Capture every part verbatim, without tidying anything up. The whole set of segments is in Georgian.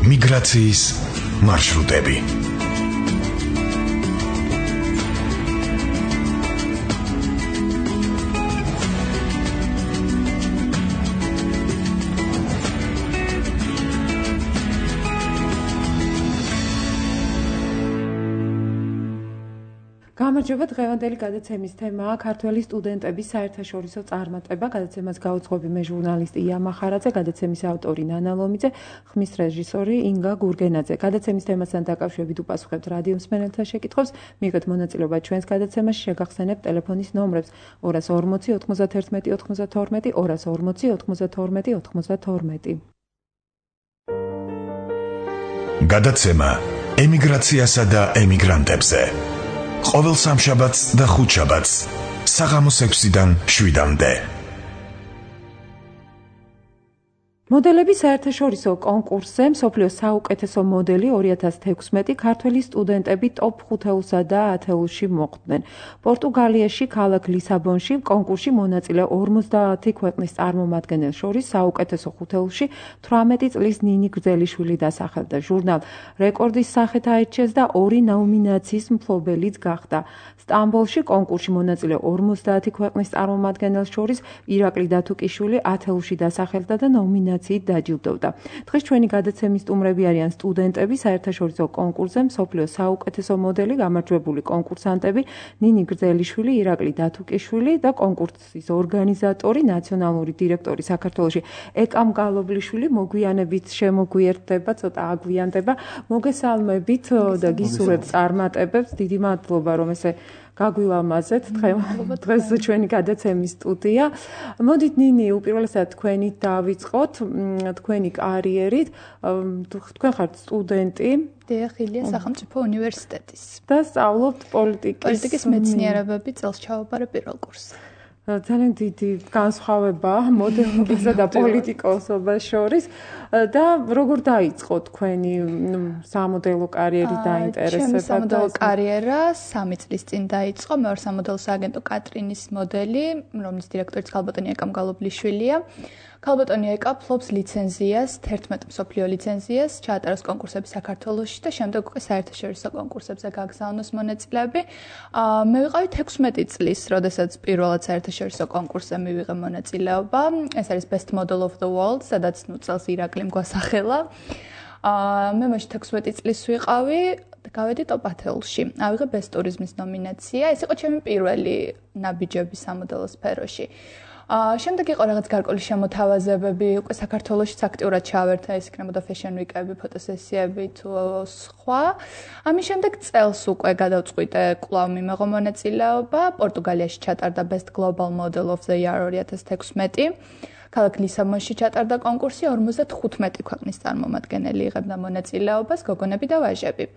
მიგრაციის მარშრუტები. გამარჯობა, დღევანდელი გადაცემის თემაა ქართველი სტუდენტების საერთაშორისო წარმატება. გადაცემას გაუძღვები მე ჟურნალისტი ია მახარაძე, გადაცემის ავტორი ნანა ლომიძე, ხმის რეჟისორი ინგა გურგენაძე. გადაცემის თემასთან დაკავშირებით უპასუხებთ რადიო მსმენელთა შეკითხვებს, მიიღეთ მონაწილეობა ჩვენს გადაცემაში, შეგახსენებთ ტელეფონის ნომრებს ორას ორმოცი ოთხმოცდათერთმეტი ოთხმოცდათორმეტი, ორას ორმოცი ოთხმოცდათორმეტი ოთხმოცდათორმეტი. გადაცემა ემიგრაციასა და ემიგრანტებზე. ყოველ სამშაბათს და ხუთშაბათს საღამოს ექვსიდან შვიდამდე. მოდელების საერთაშორისო კონკურსზე მსოფლიოს საუკეთესო მოდელი ორი ათას თექვსმეტი ქართველი სტუდენტები ტოპ ხუთეულსა და ათეულში მოხვდნენ. პორტუგალიაში ქალაქ ლისაბონში კონკურსში მონაწილე ორმოცდაათი ქვეყნის წარმომადგენელს შორის საუკეთესო ხუთეულში თვრამეტი წლის ნინი გრძელიშვილი დასახელდა. ჟურნალ რეკორდის სახით აირჩიეს და ორი ნომინაციის მფლობელიც გახდა. სტამბოლში კონკურსში მონაწილე ორმოცდაათი ქვეყნის წარმომადგენელს შორის ირაკლი დათუკიშვილი ათეულში დასახელდა და ნომინაცია დაჯილდოვდა. დღეს ჩვენი გადაცემის სტუმრები არიან სტუდენტები საერთაშორისო კონკურსზე მსოფლიოს საუკეთესო მოდელი გამარჯვებული კონკურსანტები ნინი გრძელიშვილი, ირაკლი დათუკიშვილი და კონკურსის ორგანიზატორი, ნაციონალური დირექტორი საქართველოში ეკამ გალობლიშვილი. მოგვიანებით შემოგვიერთდება, ცოტა აგვიანდება. მოგესალმებით და გისურვებთ წარმატებებს. დიდი მადლობა რომ ესე გაგვილამაზეთ დღეს ჩვენი გადაცემის სტუდია. მოდით ნინი, უპირველესად თქვენით დავიწყოთ, თქვენი კარიერით. თქვენ ხართ სტუდენტი დიახ, ილიას სახელმწიფო უნივერსიტეტის და სწავლობთ პოლიტიკის პოლიტიკის მეცნიერებები, წელს ჩავაბარე პირველ კურსზე. ძალიან დიდი განსხვავება მოდელობისა და პოლიტიკოსობას შორის და როგორ დაიწყო თქვენი სამოდელო კარიერი დაინტერესება? ჩემი სამოდელო კარიერა სამი წლის წინ დაიწყო. მე ვარ სამოდელო სააგენტო კატრინის მოდელი, რომლის დირექტორიც ქალბატონი ეკამ გალობლიშვილია. ქალბატონი ეკა ფლობს ლიცენზიას, თერთმეტ მსოფლიო ლიცენზიას, ჩაატაროს კონკურსები საქართველოში და შემდეგ უკვე საერთაშორისო კონკურსებზე გაგზავნოს მონაწილეები. მე ვიყავი თექვსმეტი წლის, როდესაც პირველად საერთაშორისო კონკურსზე მივიღე მონაწილეობა. ეს არის Best Model of the World, სადაც ნუ წელს ირაკლიმ გვასახელა. მე მაშინ თექვსმეტი წლის ვიყავი და გავედი ტოპ ათეულში. ავიღე Best Tourism-ის ნომინაცია. ეს იყო ჩემი პირველი ნაბიჯები სამოდელო სფეროში. შემდეგ იყო რაღაც გარკვეული შემოთავაზებები, უკვე საქართველოშიც აქტიურად ჩავერთა, ეს იქნებოდა Fashion Week-ები, ფოტოსესიები თუ სხვა. ამის შემდეგ წელს უკვე გადავწყვიტე კვლავ მიმეღო მონაწილეობა. პორტუგალიაში ჩატარდა Best Global Model of the Year ორი ათას თექვსმეტი. ქალაქ ლისაბონში ჩატარდა კონკურსი, ორმოცდათხუთმეტი ქვეყნის წარმომადგენელი იღებდა მონაწილეობას, გოგონები და ვაჟები.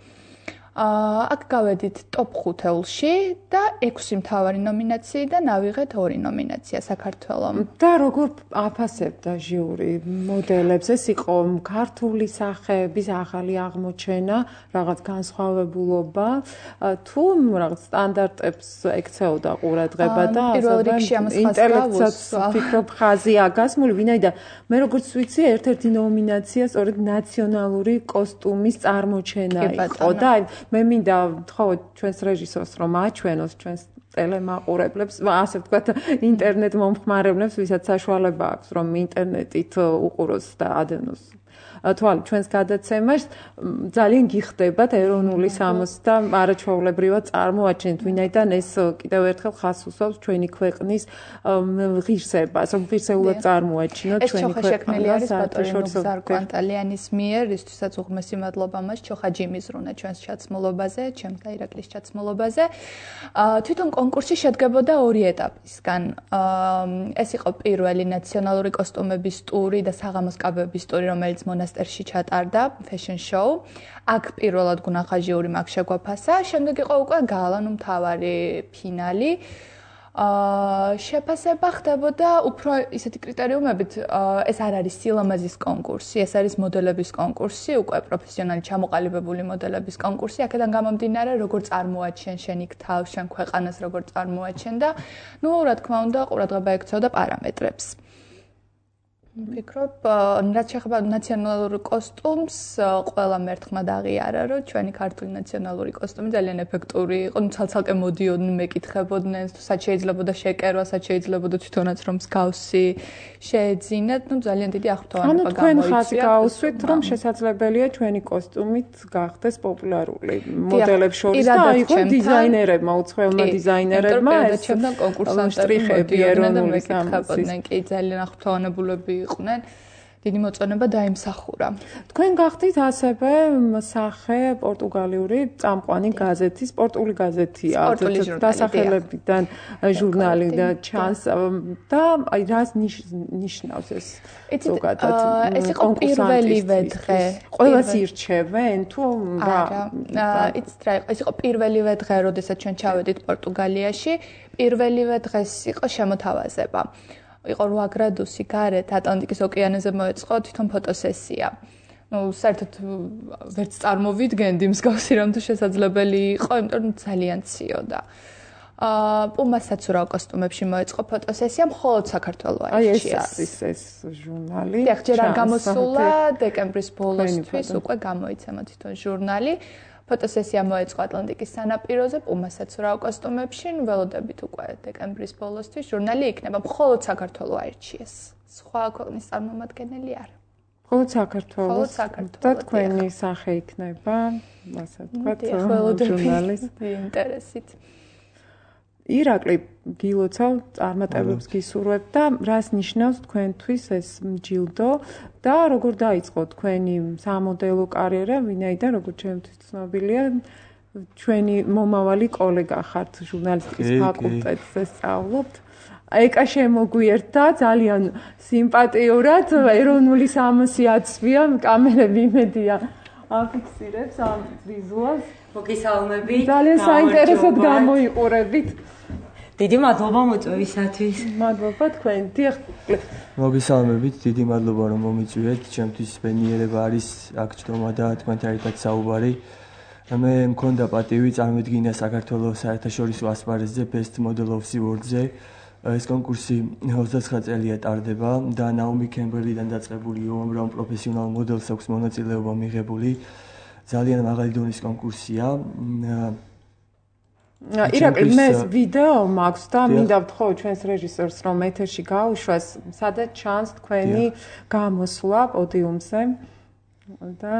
აქ გავედით ტოპ ხუთეულში და ექვსი მთავარი ნომინაციიდან ავიღეთ ორი ნომინაცია საქართველომ. და როგორ აფასებდა ჟიური მოდელებს? ეს იყო ქართული სახეების ახალი აღმოჩენა, რაღაც განსხვავებულობა, თუ რაღაც სტანდარტებს ექცეოდა ყურადღება და პირველ რიგში ამას ინტელექტსაც ვფიქრობ ხაზია გასმული, ვინაიდან მე როგორც ვიცი, ერთ-ერთი ნომინაცია სწორედ ნაციონალური კოსტუმის წარმოჩენა იყო და მე მინდა ვთხოვოთ ჩვენს რეჟისორს რომ აჩვენოს ჩვენს ტელემაყურებლებს, ასე ვთქვათ, ინტერნეტ მომხმარებლებს, ვისაც საშუალება აქვს რომ ინტერნეტით უყუროს და ადევნოს თვალ ჩვენს გადაცემას. ძალიან გიხდებათ ეროვნული სამოსი და არაჩვეულებრივად წარმოაჩენთ, ვინაიდან ეს კიდევ ერთხელ ხაზს უსვამს ჩვენი ქვეყნის ღირსებას, რომ ღირსეულად წარმოაჩინოთ ჩვენი ქვეყნა. ეს ჩოხა შექმნილი არის ბატონი ნუგზარ კვანტალიანის მიერ, რისთვისაც უღმესი მადლობა მას ჩოხა ჯიმიზრუნა ჩვენს ჩაცმულობაზე, ჩემს და ირაკლის ჩაცმულობაზე. თვითონ კონკურსი შედგებოდა ორი ეტაპისგან. ეს იყო პირველი ნაციონალური კოსტუმების ტური და საღამოს კაბების ტური, რომელიც მონასტერში ჩატარდა, fashion show. აქ პირველად გუნახა ჟიური, მაგ შეგვაფასა. შემდეგ იყო უკვე გალა, ნუ მთავარი ფინალი. შეფასება ხდებოდა უფრო ისეთი კრიტერიუმებით, ეს არ არის სილამაზის კონკურსი, ეს არის მოდელების კონკურსი, უკვე პროფესიონალი ჩამოყალიბებული მოდელების კონკურსი. აქედან გამომდინარე, როგორ წარმოაჩენ შენ იქ თავს, შენ ქვეყანას როგორ წარმოაჩენ და ნუ რა თქმა უნდა, ყურადღება ექცეოდა პარამეტრებს. ვფიქრობ, რაც შეეხება ნაციონალურ კოსტუმს, ყველა მერთხმა დაღიარა, რომ ჩვენი ქართული ნაციონალური კოსტუმი ძალიან ეფექტური იყო, ну ცალ-ცალკე მოდიოდნენ, მეკითხებოდნენ, სად შეიძლებოდა შეკერვა, სად შეიძლებოდა თვითონაც რომ მსგავსი შეეძინათ, ну ძალიან დიდი აღფრთოვანება გამოიწვია. ანუ თქვენ ხაზი გაუსვით, რომ შესაძლებელია ჩვენი კოსტუმით გახდეს პოპულარული მოდელებს შორის და აიღო დიზაინერებმა, უცხოელმა დიზაინერებმა ეს კონკურსანტები ეროვნული სამოსის კი ძალიან აღფრთოვანებულები იყვნენ. დიდი მოწონება დაიმსახურა. თქვენ გახდით ასევე სახე პორტუგალიური წამყვანი გაზეთის, სპორტული გაზეთია, დასახელებიდან ჟურნალი და ჩანს და აი რას ნიშნავს ეს ზოგადად? ეს იყო პირველივე დღე. ყველას ირჩევენ თუ რა? არა, იცით რა იყო? ეს იყო პირველივე დღე, როდესაც ჩვენ ჩავედით პორტუგალიაში, პირველივე დღეს იყო შემოთავაზება. იყო რვა გრადუსი გარეთ ატლანტიკის ოკეანეზე მოეწყო თვითონ ფოტოსესია. ნუ საერთოდ ვერც წარმოვიდგენდი მსგავსი რამ თუ შესაძლებელი იყო, იმიტომ რომ ძალიან ციოდა. აა პუმასაც ურავ კოსტუმებში მოეწყო ფოტოსესია, მხოლოდ საქართველოს აირჩიეს. აი ეს არის ეს ჟურნალი. დიახ, ჯერ არ გამოსულა დეკემბრის ბოლოსთვის უკვე გამოიცემა თვითონ ჟურნალი. ფოტოსესია მოეწყო ატლანტიკის სანაპიროზე, პუმასაც ურავ კოსტუმებში, ველოდებით უკვე დეკემბრის ბოლოსთვის ჟურნალი იქნება, მხოლოდ საქართველოს აირჩიეს. სხვა ქვეყნის წარმომადგენელი არა. მხოლოდ საქართველოს. მხოლოდ საქართველოს. და თქვენი სახე იქნება, ასე ვთქვათ, ჟურნალის ინტერესით. ირაკლი გილოცავ წარმატებებს გისურვებ და რას ნიშნავს თქვენთვის ეს ჯილდო და როგორ დაიწყო თქვენი სამოდელო კარიერა, ვინაიდან როგორც ჩემთვის ცნობილია, ჩვენი მომავალი კოლეგა ხართ ჟურნალისტიკის ფაკულტეტზე სწავლობთ. ეკა შემოგვიერთა ძალიან სიმპათიურად, ეროვნული სამოსი აცვია, კამერები იმედია აფიქსირებს ამ ვიზუალს. მოგესალმებით. ძალიან საინტერესოდ გამოიყურებით. დიდი მადლობა მოწვევისათვის. მადლობა თქვენ. დიახ. მოგესალმებით, დიდი მადლობა რომ მომიწვიეთ. ჩემთვის ბენიერება არის აქ ჯდომა და თქვენთან ერთად საუბარი. მე მქონდა პატივი წარმოვიდგინა საქართველოს საერთაშორისო ასპარეზზე Best Model of the World-ზე. ეს კონკურსი ოცდაცხრა წელია ტარდება და ნაუმი კემბერლიდან დაწყებული უამრავ პროფესიონალ მოდელს აქვს მონაწილეობა მიღებული. ძალიან მაღალი დონის კონკურსია. ირაკლი, მე ეს ვიდეო მაქვს და მინდა ვთხოვო ჩვენს რეჟისორს რომ ეთერში გაუშვას, სადაც ჩანს თქვენი გამოსვლა პოდიუმზე და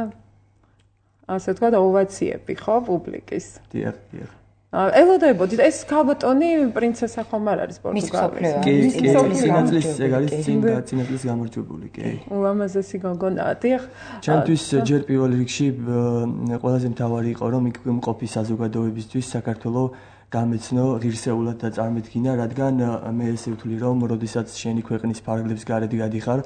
ასე თქვა და ოვაციები, ხო, პუბლიკის. დიახ, დიახ. ელოდებოდით, ეს ქალბატონი პრინცესა ხომ არ არის პორტუგალიის? კი, კი, სინათლის ეგ არის წინ და სინათლის გამარჯვებული, კი. ულამაზესი გოგონაა, დიახ. ჩემთვის ჯერ პირველ რიგში ყველაზე მთავარი იყო რომ იქ მყოფი საზოგადოებისთვის საქართველოს გამეცნო ღირსეულად და წარმოიდგინა, რადგან მე ესე ვთვლი რომ როდესაც შენი ქვეყნის ფარგლებს გარეთ გადიხარ,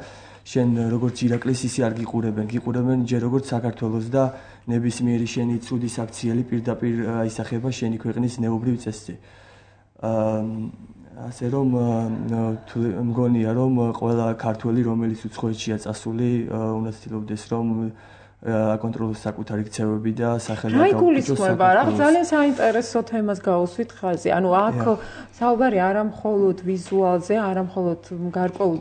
შენ როგორც ირაკლის ისე არ გიყურებენ, გიყურებენ ჯერ როგორც საქართველოს და ნებისმიერი შენი ცუდი საქციელი პირდაპირ აისახება შენი ქვეყნის ნეობრივ წესზე. აა ასე რომ მგონია რომ ყველა ქართველი რომელიც უცხოეთშია წასული უნდა ცდილობდეს რომ აკონტროლოს საკუთარი ქცევები და სახელმწიფო. აი გულისხმობა, რა ძალიან საინტერესო თემას გაუსვით ხაზი. ანუ აქ საუბარი არა მხოლოდ ვიზუალზე, არა მხოლოდ გარკვეულ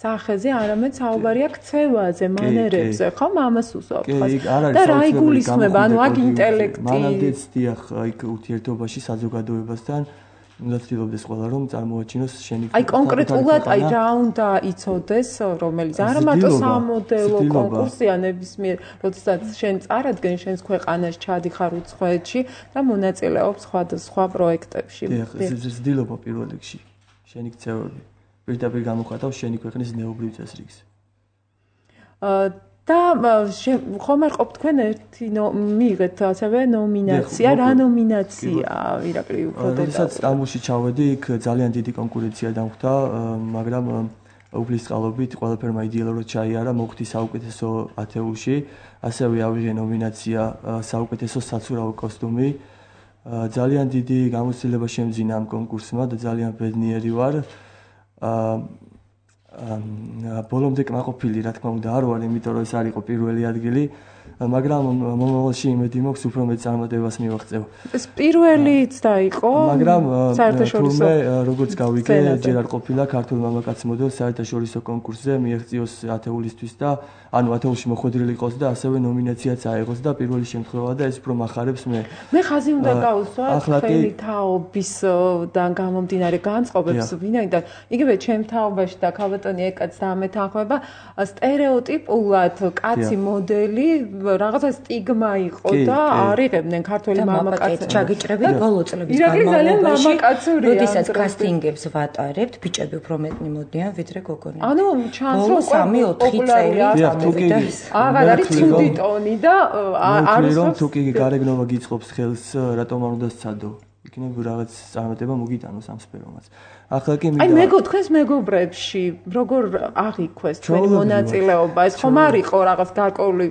სახეზე, არამედ საუბარია ქცევაზე, მანერებზე, ხო, ამას უსვამთ ხაზს. და რა იგულისხმება, ანუ აქ ინტელექტი. მანამდეც დიახ, იქ ურთიერთობაში საზოგადოებასთან უნდა ცდილობდეს ყველა რომ წარმოაჩინოს შენი აი კონკრეტულად აი რა უნდა იცოდეს რომელიც არა მარტო სამოდელო კონკურსია ნებისმიერ როდესაც შენ წარადგენ შენს ქვეყანას ჩადიხარ უცხოეთში და მონაწილეობ სხვადასხვა პროექტებში. ცდილობა პირველ რიგში შენი ქცევები პირდაპირ გამოხატავს შენი ქვეყნის ნეობრივ წესრიგს. და ხომ არ ყოფ თქვენ ერთი მიიღეთ ასევე ნომინაცია, რა ნომინაცია ირაკლი უფრო დეტალურად. როდესაც სტამბოლში ჩავედი, იქ ძალიან დიდი კონკურენცია დამხვდა, მაგრამ უფლის წყალობით ყველაფერმა იდეალურად ჩაიარა, მოხვდი საუკეთესო ათეულში, ასევე ავიღე ნომინაცია საუკეთესო საცურაო კოსტუმი. ძალიან დიდი გამოცდილება შემძინა ამ კონკურსმა და ძალიან ბედნიერი ვარ. ბოლომდე კმაყოფილი, რა თქმა უნდა, არ ვარ, იმიტომ რომ ეს არ იყო პირველი ადგილი. მაგრამ მომავალში იმედი მაქვს უფრო მეტ წარმატებას მივაღწევ. ეს პირველიც დაიყო მაგრამ საერთაშორისო თურმე როგორც გავიგე ჯერ არ ყოფილა ქართულ მამაკაც მოდელს საერთაშორისო კონკურსზე მიაღწიოს ათეულისთვის და ანუ ათეულში მოხვედრილი იყოს და ასევე ნომინაციაც აიღოს და პირველი შემთხვევა და ეს უფრო მახარებს მე. მე ხაზი უნდა გავუსვა თქვენი თაობისდან გამომდინარე განწყობებს ვინაიდან იგივე ჩემ თაობაში და ქალბატონი ეკაც დამეთანხმება სტერეოტიპულად კაცი მოდელი რაღაცა სტიგმა იყო და არიღებდნენ ქართველი მამაკაცები. ჩაგიჭრებით ბოლო წლების განმავლობაში, როდესაც კასტინგებს ვატარებთ, ბიჭები უფრო მეტი მოდიან ვიდრე გოგონები. ანუ ჩანს რომ სამი ოთხი წელი აღარ არის ცუდი ტონი და არ არის თუ კი გარეგნობა გიწყობს ხელს რატომ არ უნდა სცადო? იქნებ რაღაც წარმატება მოგიტანოს ამ სფერომაც. ახლა კი აი მეგო თქვენს მეგობრებში როგორ აღიქვეს თქვენი მონაწილეობა? ეს ხომ არ იყო რაღაც გარკვეული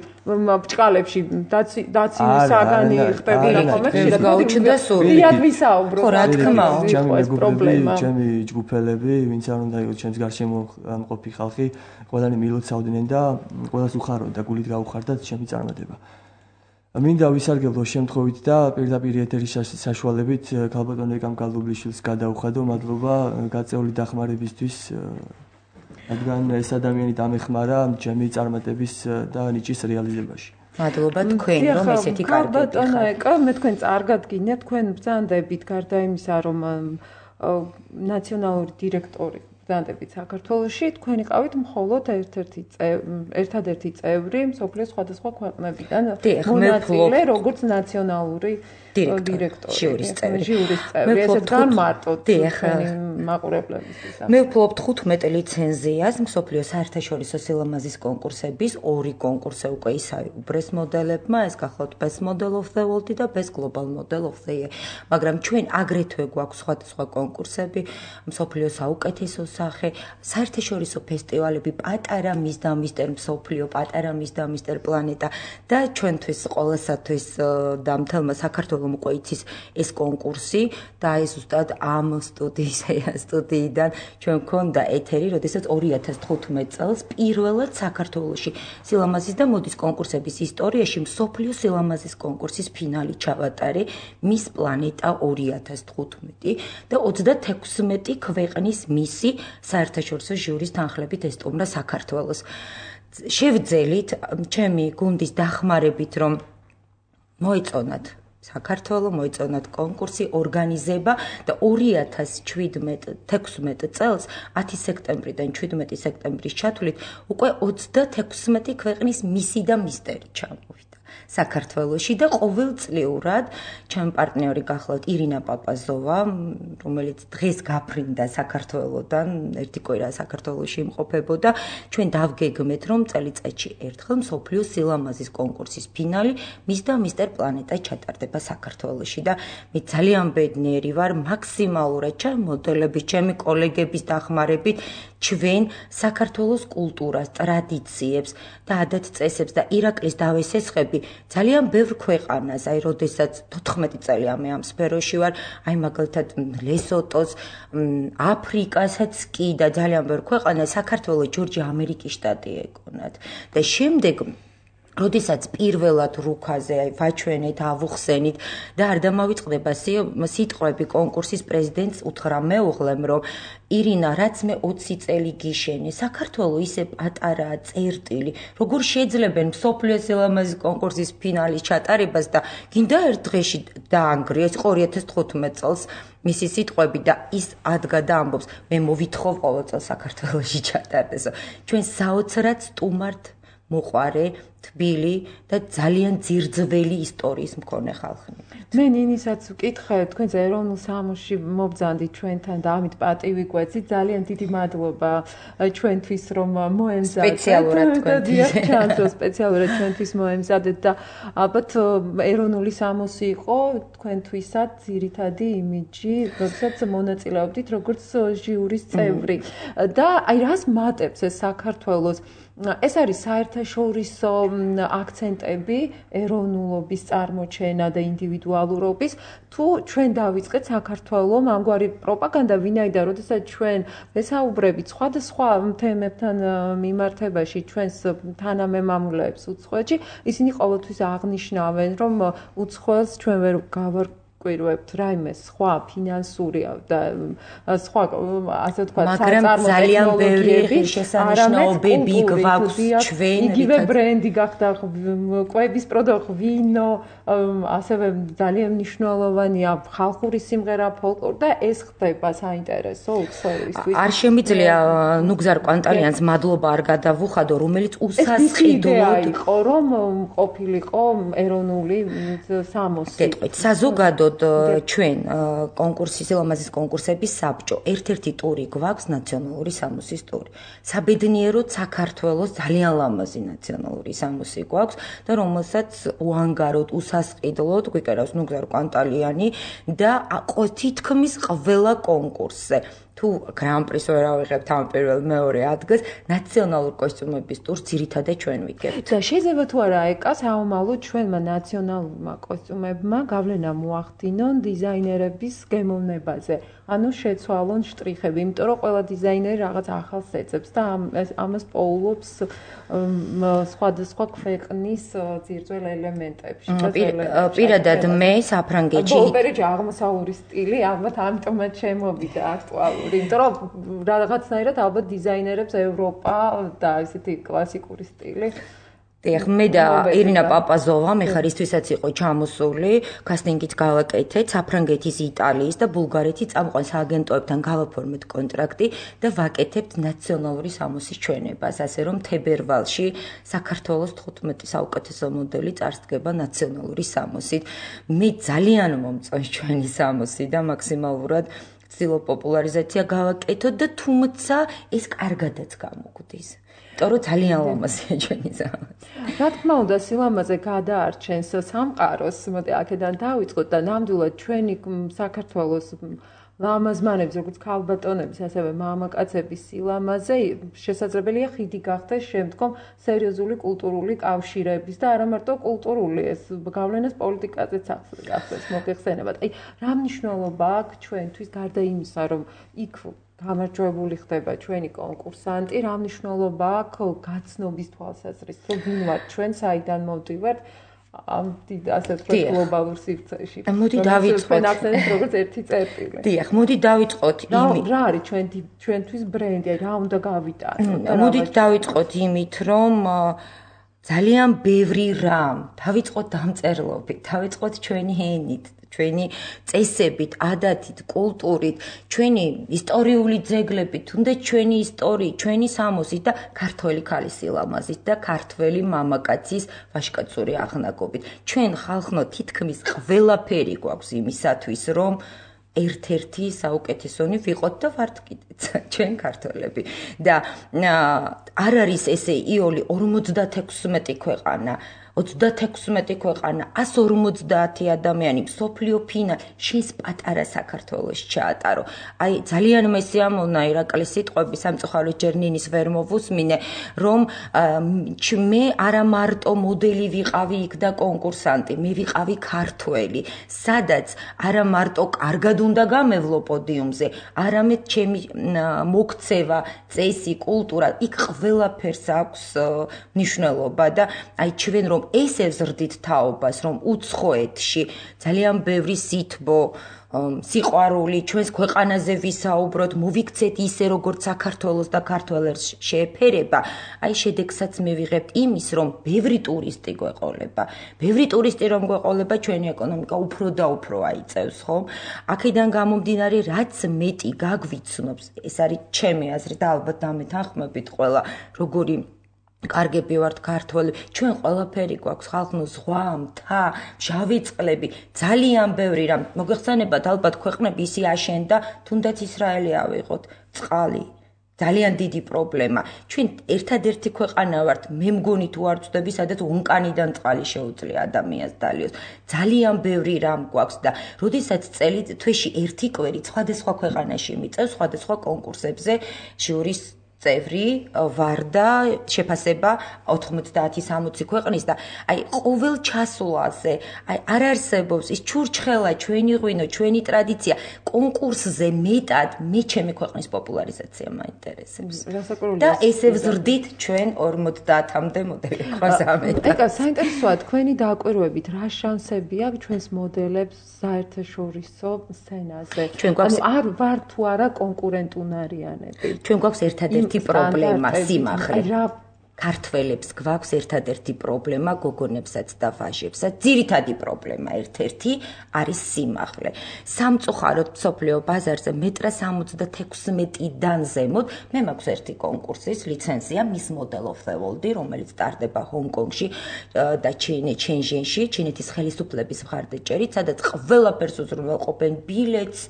ბჭყალებში დაცი დაცი საგანი ხდებოდა ხომ ეს გაუჩნდა სული. დიად ვისაუბრო. ხო რა თქმა უნდა ჩემი მეგობრები, ჩემი ჯგუფელები, ვინც არ უნდა იყოს ჩემს გარშემო მყოფი ხალხი, ყველანი მილოცავდნენ და ყველას უხაროდა გულით გაუხარდათ ჩემი წარმატება. მინდა ვისარგებლო შემთხვევით და პირდაპირ ეთერის საშუალებით ქალბატონ ეკამ გალდუბლიშვილს გადაუხადო მადლობა გაწეული დახმარებისთვის რადგან ეს ადამიანი დამეხმარა ჩემი წარმატების და ნიჭის რეალიზებაში. მადლობა თქვენ რომ ესეთი კარგი ქალბატონო ეკა მე თქვენ წარგად გინდათ თქვენ ბრძანდებით გარდა იმისა რომ ნაციონალური დირექტორი ბრძანდებით საქართველოში თქვენ იყავით მხოლოდ ერთ-ერთი ერთადერთი წევრი მსოფლიოს სხვადასხვა ქვეყნებიდან მონაწილე როგორც ნაციონალური დირექტორი ჟიურის წევრი ჟიურის წევრი ესე თან მარტო თქვენი მაყურებლებისთვის მე ვფლობ თხუთმეტ ლიცენზიას მსოფლიოს საერთაშორისო სილამაზის კონკურსების ორი კონკურსი უკვე ისაუბრეს მოდელებმა ეს გახლავთ best model of the world და best global model of the year მაგრამ ჩვენ აგრეთვე გვაქვს სხვადასხვა კონკურსები მსოფლიოს საუკეთესო სახე საერთაშორისო ფესტივალები პატარა მის და მისტერ მსოფლიო პატარა მის და მისტერ პლანეტა და ჩვენთვის ყოველსათვის და მთელმა საქართველოს უკვე იცის ეს კონკურსი და ეს ზუსტად ამ სტუდიის სტუდიიდან ჩვენ გქონდა ეთერი, როდესაც ორი ათას თხუთმეტ წელს პირველად საქართველოში სილამაზის და მოდის კონკურსების ისტორიაში მსოფლიო სილამაზის კონკურსის ფინალი ჩავატარე მის პლანეტა ორი ათას თხუთმეტი და ოცდათექვსმეტი ქვეყნის მისი საერთაშორისო ჟიურის თანხლებით ესტუმრა საქართველოს. შევძელით ჩემი გუნდის დახმარებით რომ მოეწონათ საქართველო მოეწონათ კონკურსი ორგანიზება და ორი ათას თექვსმეტ წელს ათი სექტემბრიდან შვიდმეტი სექტემბრის ჩათვლით უკვე ოცდათექვსმეტი ქვეყნის მისი და მისტერი ჩამოვიდა საქართველოში და ყოველწლიურად ჩემი პარტნიორი გახლავთ ირინა პაპაზოვა რომელიც დღეს გაფრინდა საქართველოდან ერთი კვირა საქართველოში იმყოფებოდა ჩვენ დავგეგმეთ რომ წელიწადში ერთხელ მსოფლიო სილამაზის კონკურსის ფინალი მის და მისტერ პლანეტა ჩატარდება საქართველოში და მე ძალიან ბედნიერი ვარ მაქსიმალურად ჩემი მოდელების ჩემი კოლეგების დახმარებით ჩვენ საქართველოს კულტურას ტრადიციებს და ადათ-წესებს და ირაკლის დავესესხები ძალიან ბევრ ქვეყანას, აი, როდესაც თოთხმეტი წელი ამ ამ სფეროში ვარ, აი, მაგალითად, ლესოტოს, აფრიკასაც კი და ძალიან ბევრ ქვეყანას საქართველოს ჯორჯია ამერიკის შტატი ეკონათ. და შემდეგ როდესაც პირველად რუქაზე აი ვაჩვენეთ, ავუხსენით და არ დამავიწყდება სიტყვები კონკურსის პრეზიდენტს უთხრა მეუღლემ, რომ ირინა, რაც მე ოცი წელი გიშენე, საქართველოს ისე პატარაა წერტილი, როგორ შეძლებენ მსოფლიო სილამაზის კონკურსის ფინალის ჩატარებას და გინდა ერთ დღეში დაანგრიეს ორი ათას თხუთმეტ წელს მისი სიტყვები და ის ადგა და ამბობს, მე მოვითხოვ ყოველ წელს საქართველოში ჩატარდეს. ჩვენ საოცრად სტუმართ მოყარე თბილი და ძალიან ძირძველი ისტორიის მქონე ხალხი. მე ნინისაც ვკითხე, თქვენ ეროვნულ სამოსში მობრძანდით ჩვენთან და ამით პატივი გვეცით. ძალიან დიდი მადლობა ჩვენთვის რომ მოემზადეთ. სპეციალურად თქვენთვის. ჩანს რომ სპეციალურად ჩვენთვის მოემზადეთ და ალბათ ეროვნული სამოსი იყო თქვენთვისაც ძირითადი იმიჯი, როდესაც მონაწილეობდით როგორც ჟიურის წევრი. და აი რას მატებს ეს საქართველოს ეს არის საერთაშორისო აქცენტები ეროვნულობის წარმოჩენა და ინდივიდუალურობის თუ ჩვენ დავიწყეთ საქართველოს ამგვარი პროპაგანდა ვინაიდან როდესაც ჩვენ ვესაუბრებით სხვადასხვა თემებთან მიმართებაში ჩვენს თანამემამულეებს უცხოეთში ისინი ყოველთვის აღნიშნავენ რომ უცხოელს ჩვენ ვერ გავარ კვირვებთ რაიმე სხვა ფინანსური და სხვა ასე ვთქვათ მაგრამ ძალიან ბევრი შესანიშნაობები გვაქვს ჩვენ იგივე ბრენდი გახდა კვების პროდუქტი ვინო ასევე ძალიან მნიშვნელოვანია ხალხური სიმღერა ფოლკლორი და ეს ხდება საინტერესო უცხოელისთვის არ შემიძლია ნუგზარ კვანტალიანს მადლობა არ გადავუხადო რომელიც უსასყიდლოდ იყო რომ ყოფილიყო ეროვნული სამოსი გეტყვით საზოგადოდ ჩვენ კონკურსის სილამაზის კონკურსების საბჭო ერთ-ერთი ტური გვაქვს ნაციონალური სამოსის ტური. საბედნიეროდ საქართველოს ძალიან ლამაზი ნაციონალური სამოსი გვაქვს და რომელსაც უანგაროდ უსასყიდლოდ გვიკერავს ნუგზარ კვანტალიანი და თითქმის ყველა კონკურსზე თუ გრან-პრის ვერ ავიღებთ ამ პირველ მეორე ადგილს ნაციონალურ კოსტიუმების ტურს ძირითადად ჩვენ ვიგებთ. და შეიძლება თუ არა ეკა საომალო ჩვენმა ნაციონალურმა კოსტიუმებმა გავლენა მოახდინონ დიზაინერების გემოვნებაზე. ანუ შეცვალონ შტრიხები, იმიტომ რომ ყველა დიზაინერი რაღაც ახალს ეძებს და ამას პოულობს სხვადასხვა ქვეყნის ძირძველ ელემენტებში. პირადად მე საფრანგეთში ოპერეჯი აღმოსავლური სტილი ალბათ ამიტომაც შემოვიდა აქტუალური, იმიტომ რომ რაღაცნაირად ალბათ დიზაინერებს ევროპა და ისეთი კლასიკური სტილი დიახ, მე და ირინა პაპაზოვა მე ხარისთვისაც იყო ჩამოსული, კასტინგით გავაკეთეთ საფრანგეთის, იტალიის და ბულგარეთის წამყვან სააგენტოებთან გავაფორმეთ კონტრაქტი და ვაკეთებთ ნაციონალური სამოსის ჩვენებას, ასე რომ თებერვალში საქართველოს თხუთმეტი საუკეთესო მოდელი წარსდგება ნაციონალური სამოსით. მე ძალიან მომწონს ჩვენი სამოსი და მაქსიმალურად ვცდილობ პოპულარიზაცია გავაკეთოთ და თუმცა ეს კარგადაც გამოგვდის. Toro ძალიან ლამაზია ჩვენი სამოსი. რა თქმა უნდა, სილამაზე გადაარჩენს სამყაროს, მოდი აქედან დავიწყოთ და ნამდვილად ჩვენი საქართველოს ლამაზმანების, როგორც ქალბატონების, ასევე მამაკაცების სილამაზე შესაძლებელია ხიდი გახდეს შემდგომ სერიოზული კულტურული კავშირების და არა მარტო კულტურული, ეს გავლენას პოლიტიკაზეც ახდენს მოხსენებათ. აი, რა მნიშვნელობა აქვს ჩვენთვის გარდა იმისა, რომ იქ გამარჯვებული ხდება ჩვენი კონკურსანტი, რა მნიშვნელობა აქვს გაცნობის თვალსაზრისით, რომ ვინ ვართ ჩვენ, საიდან მოვდივართ ამ ასე ვთქვათ გლობალურ სივრცეში. მოდი დავიწყოთ. ჩვენ ახსენეთ როგორც ერთი წერტილი. დიახ, მოდი დავიწყოთ იმით. რა არის ჩვენ ჩვენთვის ბრენდი, რა უნდა გავიტანოთ? მოდი დავიწყოთ იმით, რომ ძალიან ბევრი რამ, დავიწყოთ დამწერლობით, დავიწყოთ ჩვენი ენით, ჩვენი წესებით, ადათით, კულტურით, ჩვენი ისტორიული ძეგლებით, თუნდაც ჩვენი ისტორიით, ჩვენი სამოსით და ქართველი ქალის სილამაზით და ქართველი მამაკაცის ვაჟკაცური აღნაგობით. ჩვენ ხალხნო თითქმის ყველაფერი გვაქვს იმისათვის, რომ ერთ-ერთი საუკეთესონი ვიყოთ და ვართ კიდეც ჩვენ ქართველები. და არ არის ესე იოლი ორმოცდათექვსმეტი ქვეყანა ოცდათექვსმეტი ქვეყანა, ასი ორმოცდაათი ადამიანი, მსოფლიო ფინალი, შენს პატარა საქართველოს ჩაატარო. აი, ძალიან მესიამოვნა ირაკლის სიტყვები სამწუხაროდ ჯერნინის ვერ მოვუსმინე, რომ მე არა მარტო მოდელი ვიყავი იქ და კონკურსანტი, მე ვიყავი ქართველი, სადაც არა მარტო კარგად უნდა გამევლო პოდიუმზე, არამედ ჩემი მოქცევა, წესი, კულტურა, იქ ყველაფერს აქვს მნიშვნელობა და აი ჩვენ რომ ესე ვზრდით თაობას, რომ უცხოეთში ძალიან ბევრი სითბო, სიყვარული, ჩვენს ქვეყანაზე ვისაუბროთ, მოვიქცეთ ისე, როგორც საქართველოს და ქართველებს შეეფერება, აი შედეგსაც მივიღებთ იმის, რომ ბევრი ტურისტი გვეყოლება. ბევრი ტურისტი რომ გვეყოლება, ჩვენი ეკონომიკა უფრო და უფრო აიწევს, ხომ? აქედან გამომდინარე, რაც მეტი გაგვიცნობს, ეს არის ჩემი აზრით და ალბათ დამეთანხმებით ყველა, როგორი კარგები ვართ ქართველი, ჩვენ ყველაფერი გვაქვს, ხალხნო ზღვა, მთა, მჟავი წყლები, ძალიან ბევრი რამ. მოგეხსენებათ, ალბათ ქვეყნები ისე აშენდა, თუნდაც ისრაელი ავიღოთ, წყალი. ძალიან დიდი პრობლემა. ჩვენ ერთადერთი ქვეყანა ვართ, მე მგონი თუ არ ვწდები, სადაც ვულკანიდან წყალი შეუძლია ადამიანს დალიოს. ძალიან ბევრი რამ გვაქვს და როდესაც წელი თვეში ერთი კვერი სხვადასხვა ქვეყანაში მიწევს, სხვადასხვა კონკურსებზე ჟიურის წევრი ვარ და შეფასება ოთხმოცდაათი სამოცი ქვეყნის და აი ყოველ ჩასვლაზე აი არ არსებობს ის ჩურჩხელა ჩვენი ღვინო ჩვენი ტრადიცია კონკურსზე მეტად მე ჩემი ქვეყნის პოპულარიზაცია მაინტერესებს და ესე ვზრდით ჩვენ ორმოცდაათამდე მოდელი გვაზამეთ ეკა საინტერესოა თქვენი დაკვირვებით რა შანსები აქვს ჩვენს მოდელებს საერთაშორისო სცენაზე ანუ არ ვარ თუ არა კონკურენტუნარიანები ჩვენ გვაქვს ერთადერთი პრობლემა სიმაღლე ქართველებს გვაქვს ერთადერთი პრობლემა გოგონებსაც და ვაჟებსაც ძირითადი პრობლემა ერთ-ერთი არის სიმაღლე სამწუხაროდ მსოფლიო ბაზარზე მეტრ სამოცდათექვსმეტიდან ზემოთ მე მაქვს ერთი კონკურსის ლიცენზია Miss Model of the World რომელიც ტარდება ჰონკონგში და ჩენჟენში ჩინეთის ხელისუფლების მხარდაჭერით სადაც ყველაფერს უზრუნველყოფენ ბილეთს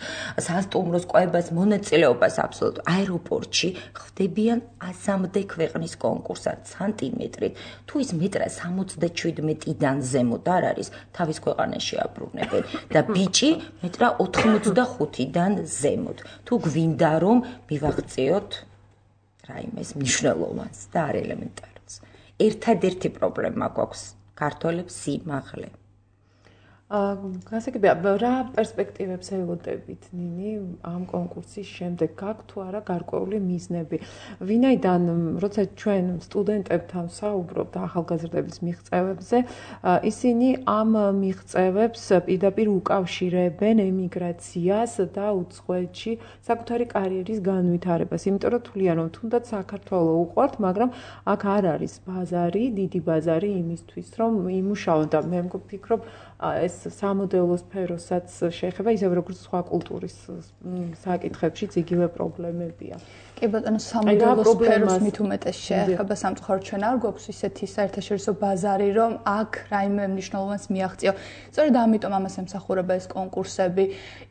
სასტუმროს კვებას მონაწილეობას აბსოლუტ აეროპორტში ხდებიან ასამდე ქვეყნის კონკურსი სანტიმეტრით თუ ის მეტრ სამოცდაშვიდმეტიდან ზემოთ არ არის თავის ქვეყანაში აბრუნებენ და ბიჭი მეტრ ოთხმოცდახუთიდან ზემოთ თუ გვინდა რომ მივაღწიოთ რაიმეს მნიშვნელოვანს და არ ელემენტარულს ერთადერთი პრობლემა გვაქვს ქართველებს სიმაღლე გასაგებია რა პერსპექტივებს ელოდებით ნინი ამ კონკურსის შემდეგ გაქვთ თუ არა გარკვეული მიზნები ვინაიდან როცა ჩვენ სტუდენტებთან ვსაუბრობთ ახალგაზრდების მიღწევებზე ისინი ამ მიღწევებს პირდაპირ უკავშირებენ ემიგრაციას და უცხოეთში საკუთარი კარიერის განვითარებას იმიტომ რომ თვლიან რომ თუნდაც საქართველოს უყვართ მაგრამ აქ არ არის ბაზარი დიდი ბაზარი იმისთვის რომ იმუშაონ და მე მგონი ეს სამოდელო სფეროსაც შეეხება ისევ როგორც სხვა კულტურის საკითხებში იგივე პრობლემებია. კი ბატონო, სამოდელო სფეროს მით უმეტეს შეეხება სამწუხაროდ ჩვენ არ გვაქვს ისეთი საერთაშორისო ბაზარი, რომ აქ რაიმე მნიშვნელოვანს მიაღწიო. სწორედ ამიტომ ამას ემსახურება ეს კონკურსები.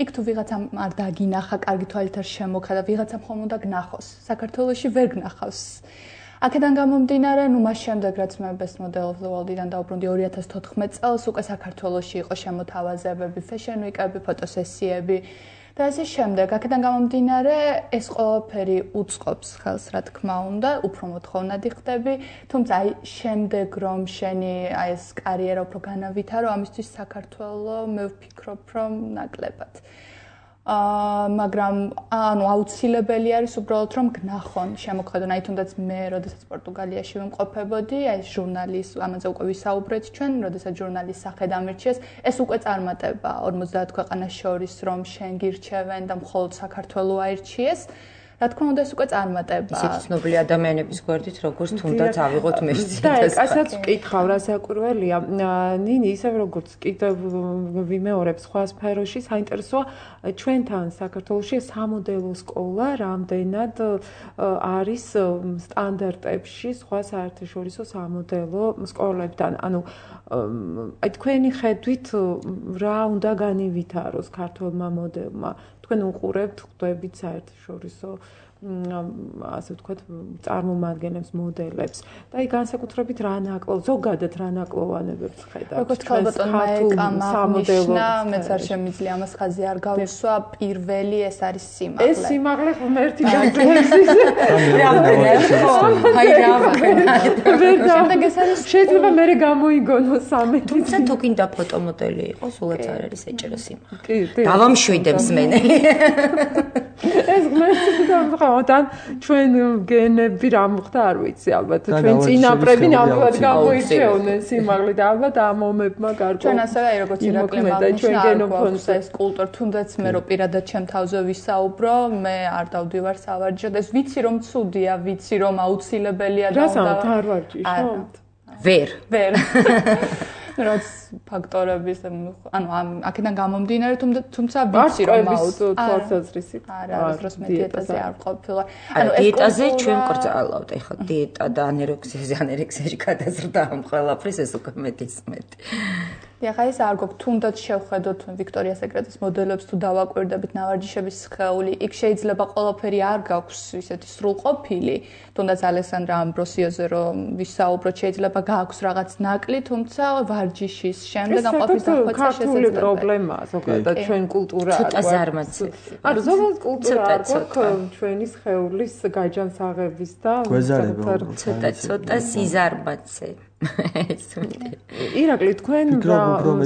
იქ თუ ვიღაცამ არ დაგინახა, კარგი თვალით არ შემოხდა და ვიღაცამ ხომ უნდა გნახოს. საქართველოში ვერ გნახავს. აქედან გამომდინარე, ნუ მას შემდეგ რაც მე Best Model of the World-დან დავბრუნდი ორი ათას თოთხმეტ წელს, უკვე საქართველოში იყო შემოთავაზებები, fashion week-ები, ფოტოსესიები და ასე შემდეგ. აქედან გამომდინარე, ეს ყველაფერი უწყობს ხელს, რა თქმა უნდა, უფრო მოთხოვნადი ხდები, თუმცა აი შემდეგ რომ შენი აი ეს კარიერა უფრო განავითარო, ამისთვის საქართველოს მე ვფიქრობ, რომ ნაკლებად. აა მაგრამ ანუ აუცილებელი არის უბრალოდ რომ გნახონ შემოქმედონ აი თუნდაც მე როდესაც პორტუგალიაში ვიმყოფებოდი აი ჟურნალის ამაზე უკვე ვისაუბრეთ ჩვენ როდესაც ჟურნალის სახე დამირჩიეს ეს უკვე წარმატება ორმოცდაათ ქვეყანას შორის რომ შენ გირჩევენ და მხოლოდ საქართველოს აირჩიეს რა თქმა უნდა ეს უკვე წარმატება ისეთი ცნობილი ადამიანების გვერდით როგორც თუნდაც ავიღოთ მერცი და ასაც ვკითხავ რა საკურველია ნინი ისევ როგორც კიდევ ვიმეორებ სხვა სფეროში საინტერესოა ჩვენთან საქართველოში სამოდელო სკოლა რამდენად არის სტანდარტებში სხვა საერთაშორისო სამოდელო სკოლებთან ანუ აი თქვენი ხედვით რა უნდა განივითაროს ქართულმა მოდელმა თქვენ უყურებთ ხვდებით საერთაშორისო ასე ვთქვათ წარმომადგენლებს მოდელებს და აი განსაკუთრებით რა ნაკლო ზოგადად რა ნაკლოვანებებს ხედავთ როგორც ქალბატონმა ეკამაღნიშნა მეც არ შემიძლია ამას ხაზი არ გავუსვა პირველი ეს არის სიმაღლე ეს სიმაღლე ღმერთი გაძლევს აი რა შემდეგ ეს არის შეიძლება მე გამოიგონოს სამეთი თუმცა თუ კიდე ფოტომოდელი იყო სულაც არ არის ეჭერო სიმაღლე დავამშვიდებს მენელი ეს ღმერთი და თან ჩვენ გენები რა მოხდა არ ვიცი ალბათ ჩვენ წინაპრები ნამდვილად გამოირჩეოდნენ სიმაღლით და ალბათ ამ მომებმა გარკვეულ ჩვენ ასევე აი როგორც ირაკლი მაგნიშნა გენოფონს ეს კულტურა თუნდაც მე რო პირადად ჩემ თავზე ვისაუბრო მე არ დავდივარ სავარჯიშოდ ეს ვიცი რომ ცუდია ვიცი რომ აუცილებელია და უნდა არ ვარჯიშობ ვერ ვერ რაც ფაქტორების ანუ აქედან გამომდინარე თუმცა ვიცი რომ აუცილებლად თვალსაზრისით არა დროს მე დიეტაზე არ ყოფილა ანუ დიეტაზე ჩვენ კრძალავთ ეხლა დიეტა და ანერექსიაზე ანერექსიაში გადაზრდა ამ ყველაფრის ეს უკვე მეტის მეტი ეხლა ეს არ გვაქვს თუნდაც შევხედოთ ვიქტორია სეკრეტის მოდელებს თუ დავაკვირდებით ნავარჯიშების სხეული, იქ შეიძლება ყველაფერი არ გაქვს ისეთი სრულყოფილი, თუნდაც ალესანდრა ამბროსიოზე რომ ვისაუბროთ, შეიძლება გააქვს რაღაც ნაკლი, თუმცა ვარჯიშის შემდეგ ამ ყოფის დახვეწა შესაძლებელია. პრობლემაა ზოგადად ჩვენ კულტურა ცოტა ზარმაცი. არ ზოგადად კულტურა არ გვაქვს ჩვენი სხეულის გაჯანსაღების და ცოტა ცოტა სიზარმაცე. ირაკლი თქვენ რა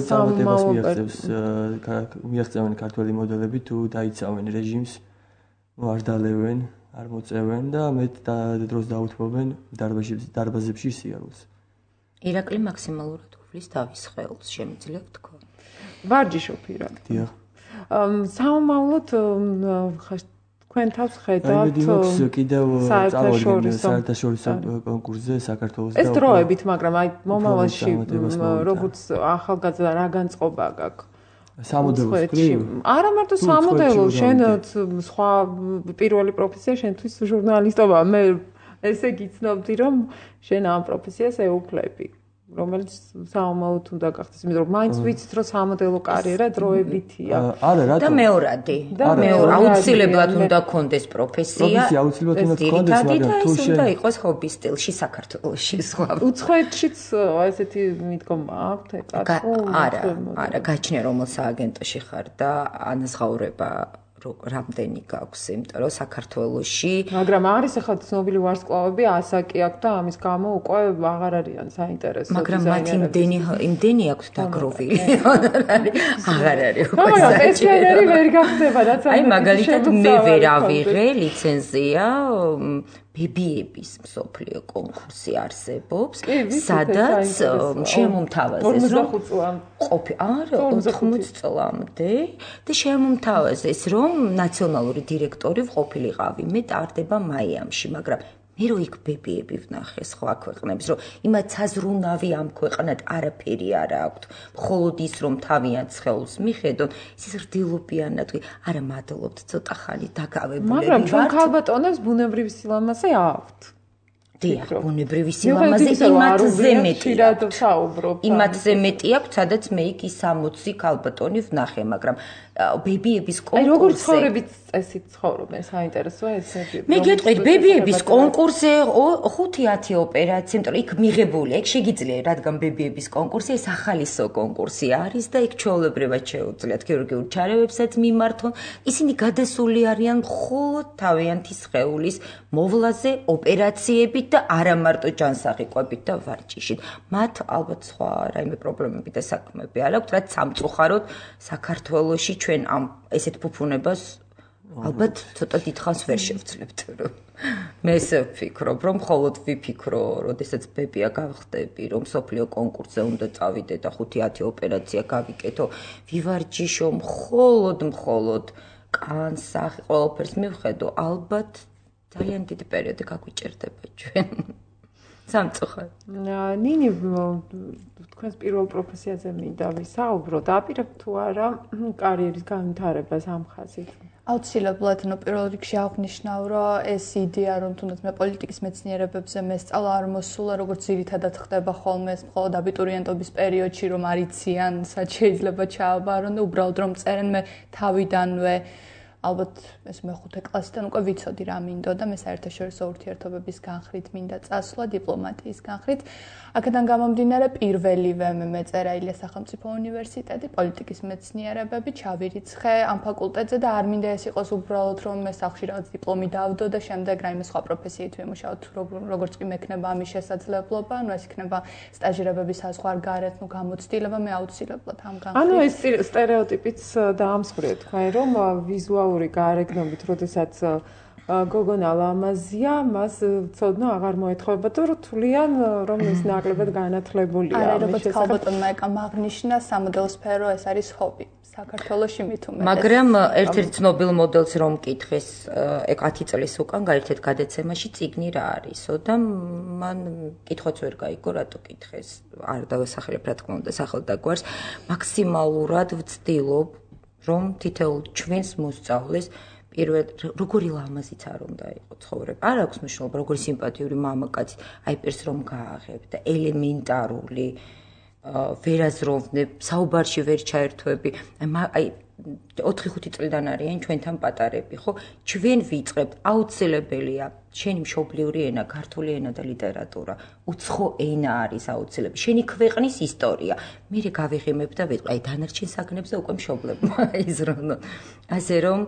სამომავლობას მიაღწევს მიაღწევენ ქართველი მოდელები თუ დაიცავენ რეჟიმს, არ დალევენ, არ მოწევენ და მეტ დროს დაუთმობენ დარბაზებში სიარულს. ირაკლი მაქსიმალურად უვლის თავის სხეულს, შემიძლია ვთქვა. ვარჯიშობ ირაკლი. დიახ. სამომავლოდ თქვენ თავს ხედავთ კიდევ წავადგენ საერთაშორისო კონკურსზე საქართველოს და ეს დროებით, მაგრამ აი მომავალში როგორც ახალგაზრდა რა განწყობა გაქვს? სამოდელოს გრიგ? არა მარტო სამოდელო, შენ სხვა პირველი პროფესია შენთვის ჟურნალისტობა. მე ესე გიცნობდი რომ შენ ამ პროფესიას ეუფლები. რომელიც საომალოდ უნდა გახდეს, იმიტომ რომ მაინც ვიცით რომ სამოდელო კარიერა დროებითია. არა, რატო? და მეორადი. და მეორე აუცილებლად უნდა გქონდეს პროფესია. პროფესია აუცილებლად უნდა გქონდეს, მაგრამ თუ შენ უნდა იყოს ჰობი სტილში საქართველოში სხვა. უცხოეთშიც ესეთი მიდგომა აქვთ ეკა თუ? არა, არა, გაჩნია რომელ სააგენტოში ხარ და ანაზღაურება რამდენი გაქვს, იმიტომ რომ საქართველოში მაგრამ არის ახლა ცნობილი ვარსკვლავები ასაკი აქვს და ამის გამო უკვე აღარ არიან საინტერესო მაგრამ მათ იმდენი იმდენი აქვს დაგროვილი აღარ არის უკვე მაგრამ პენსიონერი ვერ გახდება რაც აი მაგალითად მე ვერ ავიღე ლიცენზია ბებიების მსოფლიო კონკურსი არსებობს სადაც შემომთავაზეს რომ ყოფი არა ოთხმოც წლამდე და შემომთავაზეს რომ ნაციონალური დირექტორი ვყოფილიყავი მე ტარდება მაიამში მაგრამ მე რო იქ ბებიები ვნახე სხვა ქვეყნებს რომ იმათ საზრუნავი ამ ქვეყნად არაფერი არ აქვთ მხოლოდ ის რომ თავიანთ სხეულს მიხედონ ის რდილობიანად არა მადლობთ ცოტა ხანი დაგავებულები მაგრამ ჩვენ ქალბატონებს ბუნებრივი სილამაზე აქვთ დიახ ბუნებრივი სილამაზე იმათზე მეტია იმათზე მეტი აქვს სადაც მე იქ ის სამოცი ქალბატონი ვნახე მაგრამ ბებიების კონკურსზე აი როგორ ცხოვრებით წესით ცხოვრობენ საინტერესოა ესე მე გეტყვით ბებიების კონკურსზე ხუთი ათი ოპერაცია იმიტომ რომ იქ მიღებული იქ შეგიძლია რადგან ბებიების კონკურსი ეს ახალისო კონკურსი არის და იქ ჩვეულებრივად შეუძლიათ ქირურგიულ ჩარევებსაც მიმართონ ისინი გადასული არიან მხოლოდ თავიანთი სხეულის მოვლაზე ოპერაციებით და არა მარტო ჯანსაღი-კვებით და ვარჯიშით მათ ალბათ სხვა რაიმე პრობლემები და საქმეები არ აქვთ რაც სამწუხაროდ საქართველოში ჩვენ ამ ესეთ ფუფუნებას ალბათ ცოტა დიდხანს ვერ შევძლებთ რომ მე ესე ვფიქრობ რომ მხოლოდ ვიფიქრო როდესაც ბებია გავხდები რომ სოფლიო კონკურსზე უნდა წავიდე და ხუთი ათი ოპერაცია გავიკეთო ვივარჯიშო მხოლოდ მხოლოდ კანსახი ყველაფერს მივხედო ალბათ ძალიან დიდი პერიოდი გაგვიჭირდება ჩვენ სამწუხაროდ ნინი თქვენს პირველ პროფესიაზე მინდა ვისაუბრო დაპირებ თუ არა კარიერის განვითარებას ამ ხაზით აუცილებლად ნუ პირველ რიგში აღნიშნავ რომ ეს იდეა რომ თუნდაც მე პოლიტიკის მეცნიერებებზე მესწავლა არ მოსულა როგორც ძირითადად ხდება ხოლმე ეს მხოლოდ აბიტურიენტობის პერიოდში რომ არიციან სად შეიძლება ჩააბარონ და უბრალოდ რომ წერენ მე თავიდანვე ალბათ ეს მეხუთე კლასიდან უკვე ვიცოდი რა მინდოდა მე საერთაშორისო ურთიერთობების განხრით მინდა წასვლა დიპლომატიის განხრით აქედან გამომდინარე პირველივე მე მეწერა ილიას სახელმწიფო უნივერსიტეტი პოლიტიკის მეცნიერებები ჩავირიცხე ამ ფაკულტეტზე და არ მინდა ეს იყოს უბრალოდ რომ მე სახლში რაღაც დიპლომი დავდო და შემდეგ რაიმე სხვა პროფესიით ვიმუშაოთ როგორც კი მექნება ამის შესაძლებლობა ანუ ეს იქნება სტაჟირებების საზღვარ გარეთ ნუ გამოცდილება მე აუცილებლად ამ განხრით ანუ ეს სტერეოტიპიც დაამსხვრიეთ თქვენ რომ ვიზუალური გარეგნობით როდესაც გოგონა ლამაზია, მას ცოდნა აღარ მოეთხოვება და რთულიან რომ ეს ნაკლებად განათლებულია. არა, როგორც ქალბატონმა ეკა მაგნიშნა სამოდელო სფერო ეს არის ჰობი. საქართველოში მით უმეტეს. მაგრამ ერთ-ერთ ცნობილ მოდელს რომ მკითხეს ეკ ათი წლის უკან გაერთეთ გადაცემაში წიგნი რა არისო და მან კითხვაც ვერ გაიგო რატო კითხეს. არ დავასახელებ რა თქმა უნდა სახელდაგვარს. მაქსიმალურად ვცდილობ რომ თითოეულ ჩვენს მოსწავლეს პირველ როგორი ლამაზიც არ უნდა იყოს ცხოვრება. არ აქვს მნიშვნელობა, როგორი სიმპათიური მამაკაცი, აი პირს რომ გააღებ და ელემენტარული ვერაზროვნებ, საუბარში ვერ ჩაერთვები. აი ოთხი ხუთი წლიდან არიან ჩვენთან პატარები, ხო? ჩვენ ვიწყებთ, აუცილებელია შენი მშობლიური ენა, ქართული ენა და ლიტერატურა. უცხო ენა არის აუცილებელი. შენი ქვეყნის ისტორია. მე გავიღიმებ და ვიტყვი, აი დანარჩენ საგნებზე უკვე მშობლებმა იზრუნონ. ასე რომ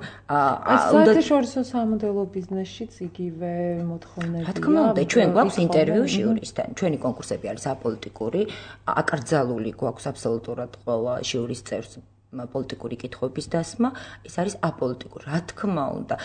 საერთაშორისო სამოდელო ბიზნესშიც იგივე მოთხოვნებია. რა თქმა უნდა, ჩვენ გვაქვს ინტერვიუ ჟიურისთან. ჩვენი კონკურსები არის აპოლიტიკური, აკრძალული გვაქვს აბსოლუტურად ყველა ჟიურის წევრს პოლიტიკური კითხვების დასმა, ეს არის აპოლიტიკური. რა თქმა უნდა,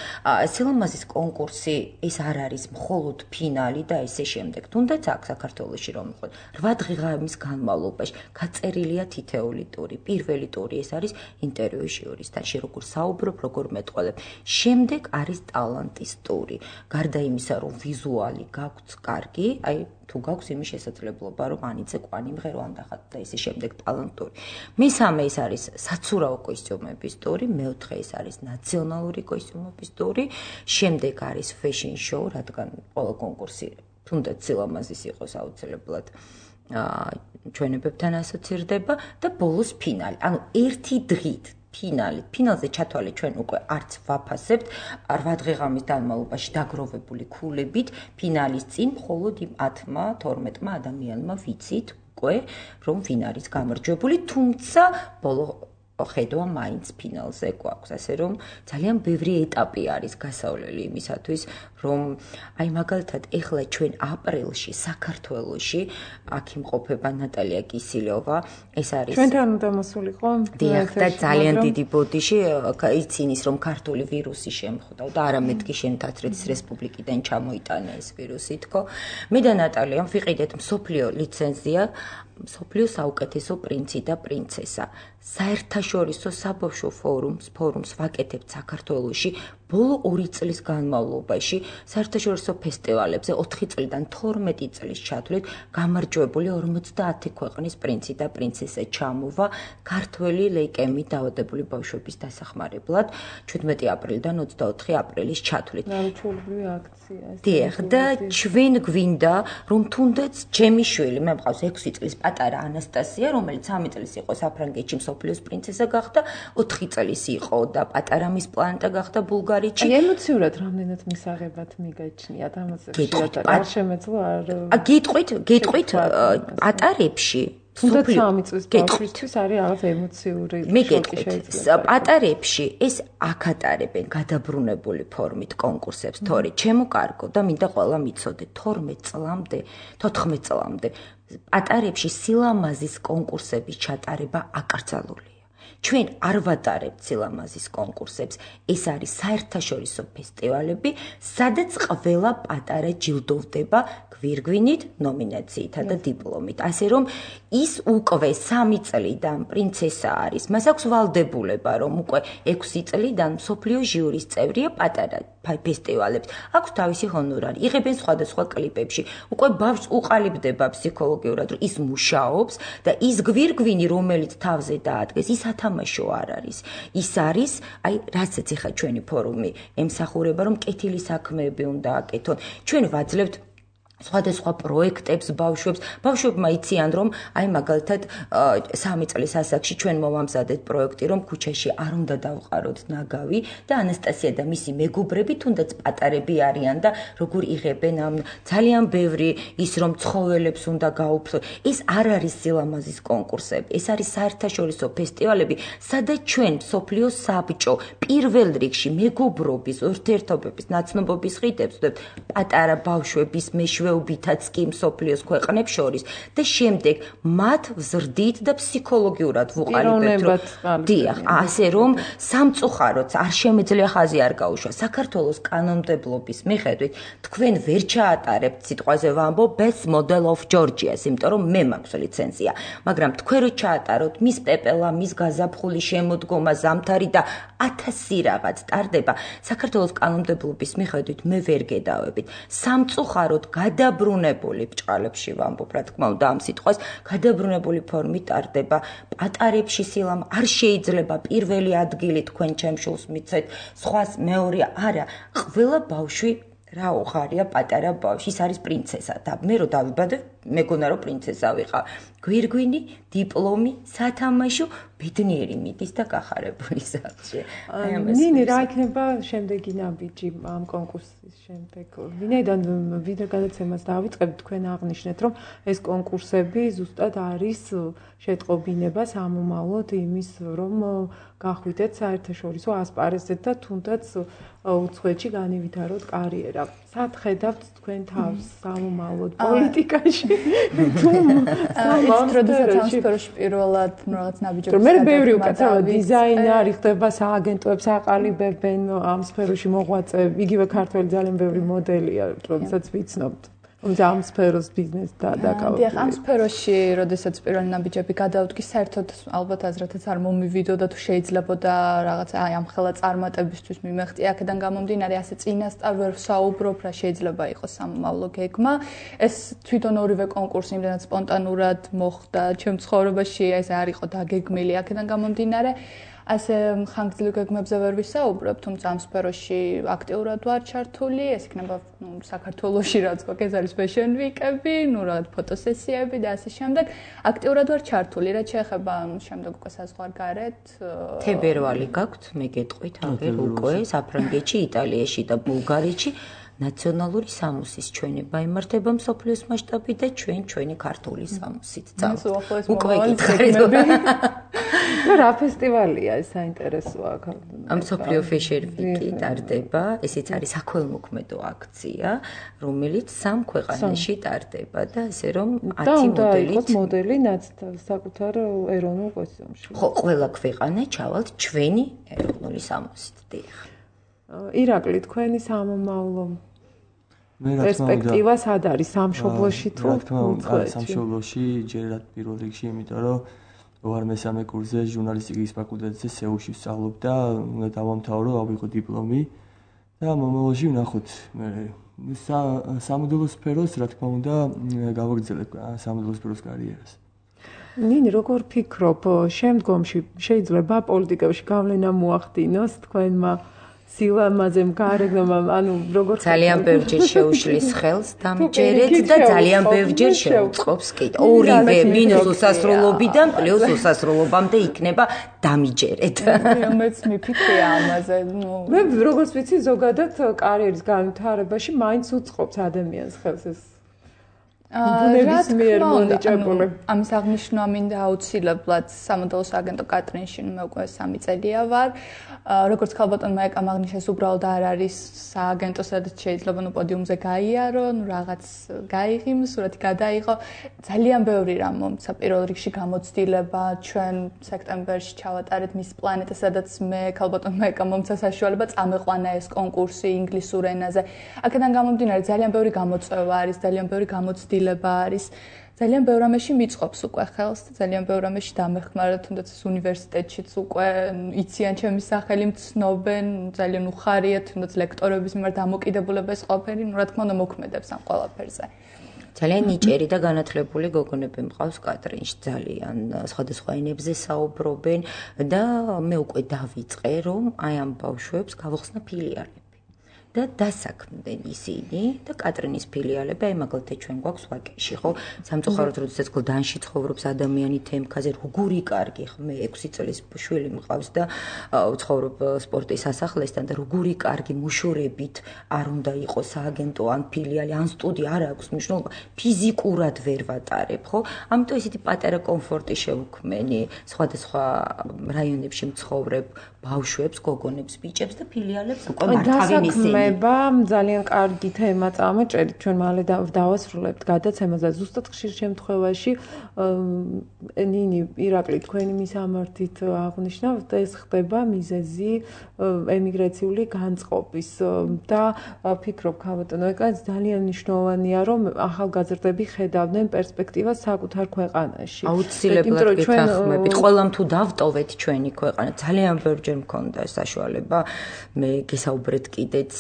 სილამაზის კონკურსი ეს არ არის მხოლოდ ფინალი და ესე შემდეგ. თუნდაც აქ საქართველოში რომ ვიყოთ, რვა დღის განმავლობაში გაწერილია თითეული ტური. პირველი ტური ეს არის ინტერვიუ ჟიურისთან, როგორ საუბრობ, როგორ მეტყველებ. შემდეგ არის ტალანტის ტური. გარდა იმისა, რომ ვიზუალი გაგვც კარგი, აი თუ გაქვს იმის შესაძლებლობა, რომ ანიცე კვანი მღერო ამდახად და ისე შემდეგ ტალანტური. მესამე ეს არის საცურაო კოსტიუმების ტური, მეოთხე ეს არის ნაციონალური კოსტიუმების ტური, შემდეგ არის fashion show, რადგან ყველა კონკურსი თუნდაც სილამაზის იყოს აუცილებლად ჩვენებებთან ასოცირდება და ბოლოს ფინალი. ანუ ერთი დღით ფინალი. ფინალზე ჩათვალე ჩვენ უკვე არც ვაფასებთ რვა დღის განმავლობაში დაგროვებული ქულებით ფინალის წინ მხოლოდ იმ ათმა თორმეტმა ადამიანმა ვიცით უკვე რომ ვინ არის გამარჯვებული, თუმცა ბოლო ხედვა მაინც ფინალზე გვაქვს, ასე რომ ძალიან ბევრი ეტაპი არის გასავლელი იმისათვის, რომ აი მაგალითად ეხლა ჩვენ აპრილში საქართველოში აქ იმყოფება ნატალია კისილიოვა, ეს არის ჩვენთან უნდა მოსულიყო. დიახ, და ძალიან დიდი ბოდიში იცინის რომ ქართული ვირუსი შემხვდა და არამედ კი შენ თათრეთის რესპუბლიკიდან ჩამოიტანა ეს ვირუსი თქო. მე და ნატალიამ ვიყიდეთ მსოფლიო ლიცენზია მსოფლიო საუკეთესო პრინცი და პრინცესა. საერთაშორისო საბავშვო ფორუმს, ფორუმს ვაკეთებთ საქართველოში ბოლო ორი წლის განმავლობაში, საერთაშორისო ფესტივალებზე ოთხი წლიდან თორმეტი წლის ჩათვლით გამარჯვებული ორმოცდაათი ქვეყნის პრინცი და პრინცესა ჩამოვა ქართველი ლეიკემით დაავადებული ბავშვების დასახმარებლად ჩვიდმეტი აპრილიდან ოცდაოთხი აპრილის ჩათვლით. ნარჩვენებრივი აქცია ეს. დიახ, და ჩვენ გვინდა რომ თუნდაც ჩემი შვილი, მე მყავს ექვსი წლის პატარა ანასტასია, რომელიც სამი წლის იყო საფრანგეთში მსოფლიოს პრინცესა გახდა, ოთხი წლის იყო და პატარა მის პლანეტა გახდა ბულგარეთში. აი ემოციურად რამდენად მისაღებად მიგაჩნიათ ამაზე შეიძლება არ შემეძლო არ გიტყვით, გიტყვით პატარებში თუნდაც სამი წლის ბავშვისთვის არის რაღაც ემოციური შოკი შეიძლება. პატარებში ეს აკატარებენ გადაბრუნებული ფორმით კონკურსებს, თორე ჩემო კარგო და მინდა ყველა მიცოდე თორმეტ წლამდე, თოთხმეტ წლამდე პატარებში სილამაზის კონკურსების ჩატარება აკრძალულია. ჩვენ არ ვატარებთ სილამაზის კონკურსებს, ეს არის საერთაშორისო ფესტივალები, სადაც ყველა პატარა ჯილდოვდება გვირგვინით, ნომინაციითა და დიპლომით. ასე რომ ის უკვე სამი წლიდან პრინცესა არის, მას აქვს ვალდებულება, რომ უკვე ექვსი წლიდან მსოფლიო ჟიურის წევრია პატარა ფესტივალებს. აქვს თავისი ჰონორარი, იღებენ სხვადასხვა კლიპებში. უკვე ბავშვს უყალიბდება ფსიქოლოგიურად, რომ ის მუშაობს და ის გვირგვინი, რომელიც თავზე დაადგეს, ის ათამაშო არ არის. ის არის, აი, რასაც ეხა ჩვენი ფორუმი ემსახურება, რომ კეთილი საქმეები უნდა აკეთონ. ჩვენ ვაძლევთ სხვადასხვა პროექტებს ბავშვებს. ბავშვებმა იციან, რომ აი მაგალითად სამი წლის ასაკში ჩვენ მოვამზადეთ პროექტი, რომ ქუჩაში არ უნდა დავყაროთ ნაგავი და ანასტასია და მისი მეგობრები თუნდაც პატარები არიან და როგორ იღებენ ამ ძალიან ბევრი ის რომ ცხოველებს უნდა გაუფრთხილოთ. ეს არ არის სილამაზის კონკურსები, ეს არის საერთაშორისო ფესტივალები, სადაც ჩვენ მსოფლიო საბჭო პირველ რიგში მეგობრობის, ურთიერთობების, ნაცნობობის ხიდებს ვდებთ პატარა ბავშვების მეშვეობითაც კი მსოფლიოს ქვეყნებს შორის და შემდეგ მათ ვზრდით და ფსიქოლოგიურად ვუყალიბებთ. დიახ, ასე რომ სამწუხაროდ არ შემეძლია ხაზი არ გაუშვა. საქართველოს კანონმდებლობის მიხედვით თქვენ ვერ ჩაატარებთ სიტყვაზე ვამბობ best model of Georgia-ს, იმიტომ რომ მე მაქვს ლიცენზია, მაგრამ თქვენ რო ჩაატაროთ მის პეპელა, მის გაზაფხული შემოდგომა, ზამთარი და ათასი რაღაც ტარდება, საქართველოს კანონმდებლობის მიხედვით მე ვერ გედავებით. სამწუხაროდ გადაბრუნებული ბჭყალებში ვამბობ, რა თქმა უნდა ამ სიტყვას, გადაბრუნებული ფორმით ტარდება. პატარებში სილამ არ შეიძლება პირველი ადგილი თქვენ ჩემ შულს მიცეთ, სხვას მეორე არა, ყველა ბავშვი რა უხარია პატარა ბავშვი, ის არის პრინცესა და მე რო დავიბადე მეგონა რომ პრინცესა ვიყავ. გვირგვინი, დიპლომი, სათამაშო, ბედნიერი მიდის და გახარებული სახლში. ნინი, რა იქნება შემდეგი ნაბიჯი ამ კონკურსის შემდეგ? ვინაიდან ვიდრე გადაცემას დავიწყებთ, თქვენ აღნიშნეთ, რომ ეს კონკურსები ზუსტად არის შეტყობინება სამომავლოდ იმის, რომ გახვიდეთ საერთაშორისო ასპარეზზე და თუნდაც უცხოეთში განივითაროთ კარიერა. სად ხედავთ თქვენ თავს სამომავლოდ პოლიტიკაში? თუ როდესაც ამ სფეროში პირველად რაღაც ნაბიჯები მე ბევრი უკაცრავად დიზაინერი ხდება სააგენტოებს აყალიბებენ ამ სფეროში მოღვაწეები, იგივე ქართველი ძალიან ბევრი მოდელია, რომელსაც ვიცნობთ. ამ სფეროს ბიზნესთან დაკავებული. დიახ, ამ სფეროში, როდესაც პირველი ნაბიჯები გადავდგი, საერთოდ ალბათ აზრათაც არ მომივიდოდა თუ შეიძლებოდა რაღაც აი ამ ხელა წარმატებისთვის მიმეღწი აქედან გამომდინარე ასე წინასწარ ვერ ვსაუბრობ რა შეიძლება იყოს სამომავლო გეგმა. ეს თვითონ ორივე კონკურსი იმდენად სპონტანურად მოხდა ჩემ ცხოვრებაში, ეს არ იყო დაგეგმილი აქედან გამომდინარე. ასე ხანგრძლივ გეგმებზე ვერ ვისაუბრებ, თუმცა ამ სფეროში აქტიურად ვარ ჩართული, ეს იქნება საქართველოში რაც გვაქვს, ეს არის fashion week-ები, ნუ რაღაც ფოტოსესიები და ასე შემდეგ. აქტიურად ვარ ჩართული, რაც შეეხება შემდეგ უკვე საზღვარგარეთ. თებერვალი გაქვთ, მე გეტყვით, აღერ უკვე საფრანგეთში, იტალიაში და ბულგარეთში ნაციონალური სამუსის ჩვენება იმართება მსოფლიოს მასშტაბით და ჩვენ ჩვენი ქართული სამუსით წავთ. უკვე გითხარით. რა ფესტივალია ეს საინტერესოა? ამ მსოფლიო fashion week-ი ტარდება, ესეც არის საქველმოქმედო აქცია, რომელიც სამ ქვეყანაში ტარდება და ესე რომ ათი მოდელით მოდელი საკუთარ ეროვნულ კოსტიუმში. ხო, ყველა ქვეყანა ჩავალთ ჩვენი ეროვნული სამუსით, დიახ. ირაკლი, თქვენი სამომავლო პერსპექტივა სად არის სამშობლოში თუ უცხოეთში? სამშობლოში ჯერად პირველ რიგში, იმიტომ რომ ვარ მესამე კურსზე ჟურნალისტიკის ფაკულტეტზე სეულში ვსწავლობ და უნდა დავამთავრო, ავიღო დიპლომი და მომავალში ვნახოთ. მე სამოდელო სფეროს, რა თქმა უნდა, გავაგრძელებ სამოდელო სფეროს კარიერას. ნინი, როგორ ფიქრობ, შემდგომში შეიძლება პოლიტიკაში გავლენა მოახდინოს თქვენმა სილამაზემ გარეგნობამ, ანუ როგორ ძალიან ბევრჯერ შეუშლის ხელს დამჯერეთ და ძალიან ბევრჯერ შეუწყობს კი. ორივე მინუს უსასრულობიდან პლუს უსასრულობამდე იქნება დამიჯერეთ. მეც მიფიქრია ამაზე. მე როგორც ვიცი, ზოგადად კარიერის განვითარებაში მაინც უწყობს ადამიანს ხელს ეს ბუნების მიერ მონიჭებული. ამის აღნიშვნა მინდა აუცილებლად სამოდელო სააგენტო კატრინში, მე უკვე სამი წელია ვარ. როგორც ქალბატონმა ეკამ აღნიშნეს, უბრალოდ არ არის სააგენტო, სადაც შეიძლება ნუ პოდიუმზე გაიარო, ნუ რაღაც გაიღიმ, სურათი გადაიღო. ძალიან ბევრი რამ მომცა პირველ რიგში გამოცდილება, ჩვენ სექტემბერში ჩავატარეთ მის პლანეტა, სადაც მე ქალბატონმა ეკამ მომცა საშუალება წამეყვანა ეს კონკურსი ინგლისურ ენაზე. აქედან გამომდინარე ძალიან ბევრი გამოწვევა არის, ძალიან ბევრი გამოცდილება არის. ძალიან ბევრ რამეში მიწყობს უკვე ხელს, ძალიან ბევრ რამეში დამეხმარა, თუნდაც ეს უნივერსიტეტშიც უკვე იციან ჩემი სახელი, მცნობენ, ძალიან უხარია, თუნდაც ლექტორების მიმართ დამოკიდებულება ეს ყოფილი, ნუ რა თქმა უნდა მოქმედებს ამ ყველაფერზე. ძალიან ნიჭიერი და განათლებული გოგონები მყავს კატრინში, ძალიან სხვადასხვა ენებზე საუბრობენ და მე უკვე დავიწყე, რომ აი ამ ბავშვებს გავხსნა ფილიალები. და დასაქმდნენ ისინი და კატრინის ფილიალები, აი მაგალითად ჩვენ გვაქვს ვაკეში, ხო? სამწუხაროდ როდესაც გლდანში ცხოვრობს ადამიანი თემქაზე, როგორი კარგი, ხო? მე ექვსი წლის შვილი მყავს და ვცხოვრობ სპორტის სასახლესთან და როგორი კარგი მუშურებით არ უნდა იყოს სააგენტო ან ფილიალი, ან სტუდია, არ აქვს მნიშვნელობა, ფიზიკურად ვერ ვატარებ, ხო? ამიტომ ისეთი პატარა კომფორტი შევქმენი სხვადასხვა რაიონებში მცხოვრებ ბავშვებს, გოგონებს, ბიჭებს და ფილიალებს უკვე მართავენ ისინი. ძალიან კარგი თემა წამოჭერით, ჩვენ მალე დავასრულებთ გადაცემას და ზუსტად ხშირ შემთხვევაში ნინი, ირაკლი, თქვენი მისამართით აღნიშნავთ, ეს ხდება მიზეზი ემიგრაციული განწყობის და ფიქრობ, ქალბატონო ეკა, ძალიან მნიშვნელოვანია, რომ ახალგაზრდები ხედავდნენ პერსპექტივას საკუთარ ქვეყანაში. აუცილებლად გითანხმებით, ყველამ თუ დავტოვეთ ჩვენი ქვეყანა, ძალიან ბევრჯერ მქონდა საშუალება, მე გესაუბრეთ კიდეც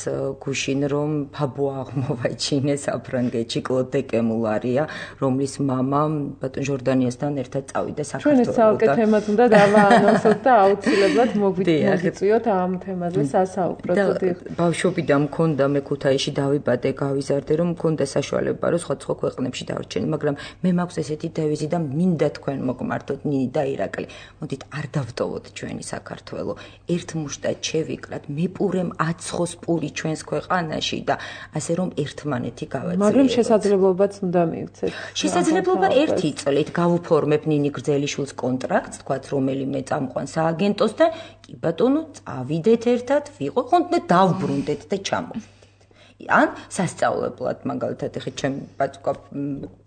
გუშინ რომ ფაბო აღმოვაჩინეს საფრანგეთში კლოდ კემულარია, რომლის მამა ბატონ ჟორდანიასთან ერთად წავიდა საქართველოს. ჩვენ საუკეთ თემად უნდა დავაანონსოთ და აუცილებლად მოგვიწიოთ ამ თემაზე სასაუბროთ. ბავშვობიდან მქონდა მე ქუთაისში დავიბადე, გავიზარდე, რომ მქონდა საშუალება რომ სხვადასხვა ქვეყნებში დავარჩენი, მაგრამ მე მაქვს ესეთი დევიზი და მინდა თქვენ მოგმართოთ ნინი და ირაკლი. მოდით არ დავტოვოთ ჩვენი საქართველო. ერთ მუშტად შევიკრათ, მეპურემ აცხოს პური ჩვენს ქვეყანაში და ასე რომ ერთმანეთი გავაძლიეროთ. მაგრამ შესაძლებლობაც უნდა მივცეთ. შესაძლებლობა ერთი წლით გავუფორმებ ნინი გრძელიშვილს კონტრაქტს, თქვათ რომელიმე წამყვან სააგენტოსთან, კი ბატონო, წავიდეთ ერთად, ვიყო, ხონდ დავბრუნდეთ და ჩამოვიდეთ. ან სასწავლებლად მაგალითად ეხა ჩემ ბაჭკა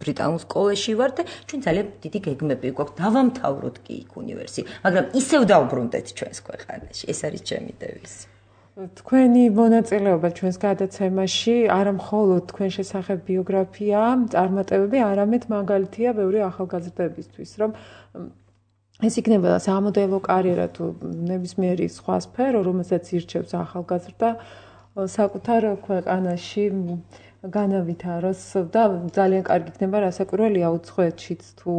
ბრიტანულ სკოლაში ვარ და ჩვენ ძალიან დიდი გეგმები გვაქვს დავამთავროთ კი იქ უნივერსიტეტი, მაგრამ ისევ დავბრუნდეთ ჩვენს ქვეყანაში. ეს არის ჩემი დევიზი. თქვენი მონაწილეობა ჩვენს გადაცემაში არა მხოლოდ თქვენ შესახებ ბიოგრაფია, წარმატებები, არამედ მაგალითია ბევრი ახალგაზრდებისთვის, რომ ეს იქნება სამოდელო კარიერა თუ ნებისმიერი სხვა სფერო, რომელსაც ირჩევს ახალგაზრდა საკუთარ ქვეყანაში განავითაროს და ძალიან კარგი იქნება რასაკვირველია უცხოეთშიც თუ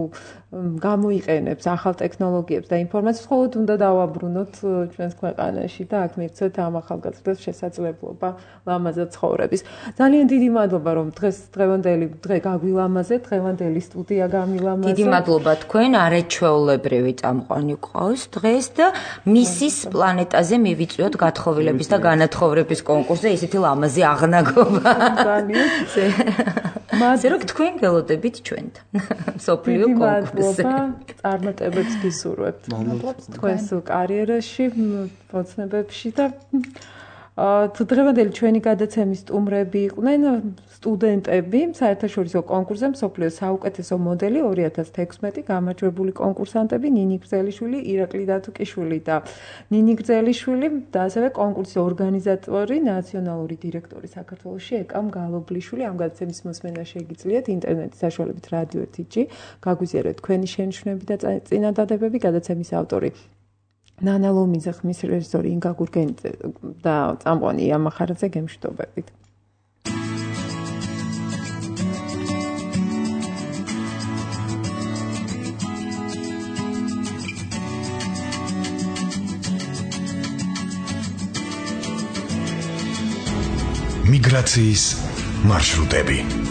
გამოიყენებს ახალ ტექნოლოგიებს და ინფორმაციას, მხოლოდ უნდა დავაბრუნოთ ჩვენს ქვეყანაში და აქ მივცეთ ამ ახალგაზრდებს შესაძლებლობა ლამაზად ცხოვრების. ძალიან დიდი მადლობა რომ დღეს დღევანდელი დღე გაგვილამაზეთ, დღევანდელი სტუდია გამილამაზეთ. დიდი მადლობა თქვენ, არაჩვეულებრივი წამყვანი გყავს დღეს და მისის პლანეტაზე მივიწვიოთ გათხოვილების და განათხოვრების კონკურსზე ისეთი ლამაზი აღნაგობა. მასე რომ თქვენ გელოდებით ჩვენთან. სოფლიო კონკურსზე. წარმატებებს გისურვებთ. მადლობს თქვენს კარიერაში, ოცნებებში და თუ დღევანდელი ჩვენი გადაცემის სტუმრები იყვნენ სტუდენტები საერთაშორისო კონკურსზე მსოფლიოს საუკეთესო მოდელი ორი ათას თექვსმეტი გამარჯვებული კონკურსანტები ნინი გრძელიშვილი, ირაკლი დათუკიშვილი და ნინი გრძელიშვილი და ასევე კონკურსის ორგანიზატორი, ნაციონალური დირექტორი საქართველოში ეკამ გალობლიშვილი. ამ გადაცემის მოსმენა შეგიძლიათ ინტერნეტის საშუალებით რადიო ერთი ჯი. გაგვიზიარეთ თქვენი შენიშვნები და წინადადებები. გადაცემის ავტორი ნანა ლომიძე, ხმის რეჟისორი ინგა გურგენიძე და წამყვანი ია მახარაძე. გემშვიდობებით. მიგრაციის მარშრუტები